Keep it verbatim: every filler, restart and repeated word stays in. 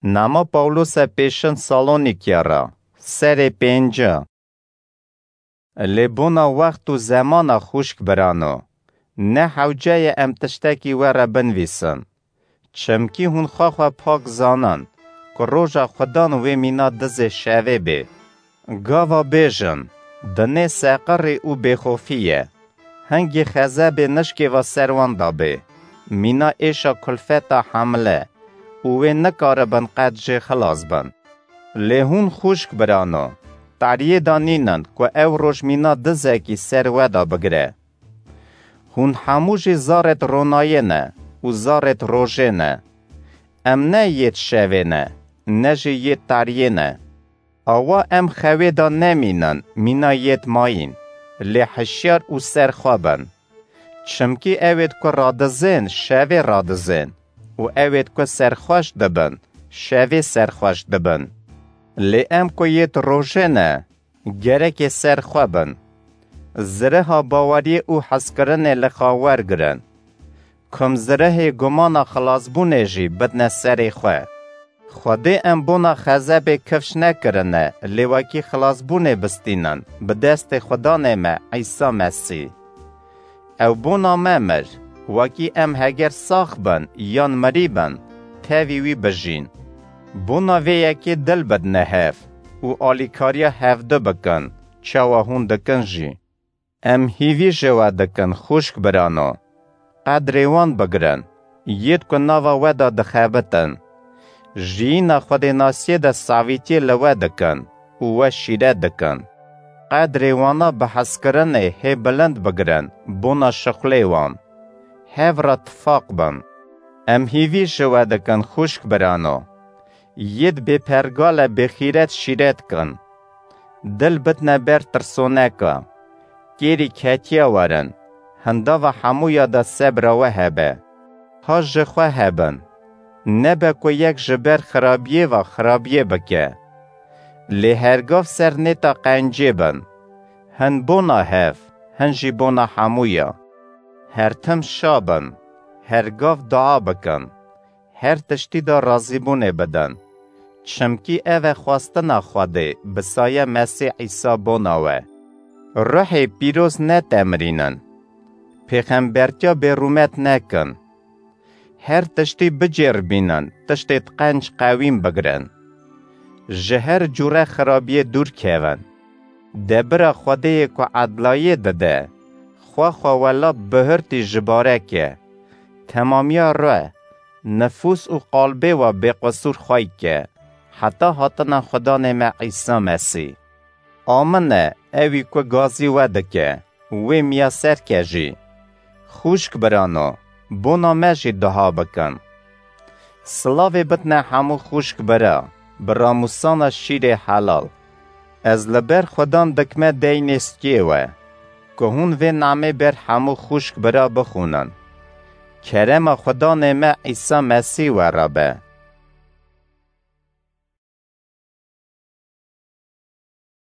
Nama Pawlose pêşin Salonîkya re, serê pênca. Lê bona wext û zemana xwişk birano, ne hewce ye em tiştekî we re binivîsin. Çimkî hûn xwe xwe pak zanin ku roja Xudan wê mîna dizê şevê bê. Gava bêjin, dinê seqirê û bêxofî ye. Hingê xezebê nişkê va ser wan dabê. Mîna êşa kulfeta hemle û wê nikaribin qet jê xilas bin. Lê hûn xwişk birano, tariyê de nînin ku ew roj mîna dizekî ser we de bigire. Hûn hemû jî zarêt ronayê ne û zarêt rojê ne. Em ne yêt şevê ne, ne jî yêt tariyê ne. Awa em xewê de nemînin, mîna yêt mayîn, lê hişyar û serxwe bin. Çimkî ewêt ku radizên, şevê radizên û ewêt ku serxweş dibin, şevê serxweş dibin. Lê em ku yêt rojê ne, gerekê serxwe bin. Ziriha baweriyê û hezkirinê li xwe wergirin. Kum zirehê gumana xilasbûnê jî bidne serê xwe. Xwedê em bona xezebê kifş nekirine, lê wekî xilasbûnê bistînin, bi destê Xudanê me Îsa Mesî. Ew bona me mir, wekî em heger sax bin yan mirî bin, tevî wî bijîn. Bona vê yekê dil bidne hev û alîkariya hevdu bikin, çawa hûn dikin jî. Em hîvî ji we dikin, xwişk birano. Qedrê wan bigirin, yêt ku nava we de dixebitin. Jiyîna xwedênasiyê de savîtiyê li we dikin û we şîret dikin. Qedrê wana bi hezkirinê hê bilind bigirin, bona şixulê wan. Hev re tifaq bin. Em hîvî ji we dikin, xwişk birano. Yêt bêpergale bêxîret şîret kin. Dil bidne ber tirsoneka. Kêrî ketiya werin. Hindava hemûya de sebra we hebe. Ha ji xwe hebin. Nebe ku yek ji ber xirabiyê ve xirabiyê bike. Lê hergav ser nêta qencê bin. Hin bona hev, hin jî bona hemûya. Her tim şa bin. Hergav dua bikin. Her tiştî de razîbûnê bidin. Çimkî ev e xwestina Xwedê bi saye Mesîh Îsa bona we. Ruhê pîroz netemirînin. Pêxembertiya bêrûmet nekin. Her tiştî bicêribînin, tiştê qenc qewîn bigirin. Ji her cûre xirabiyê dûr kevin. Debira Xwedêyê ku edlayê dide, xwe xwe welat bihurtî ji bareke. Temamiya re, nifûs û qalbê we bêqisûr xwey ke, heta hatina Xudanê me Îsa Mesî. Amin e, ewî ku gazî we dike, wê miyaser ke jî. Xwişk birano, bona me jî duha bikin. Silavê bitine hemû xwişk bira, bi ramûsana şîrê helal. Ez li ber Xudan dikme deynê stiyê we, ku hûn vê namê ber hemû xwişk bira bixwînin. Kerema Xudanê me Îsa Mesîh we re be.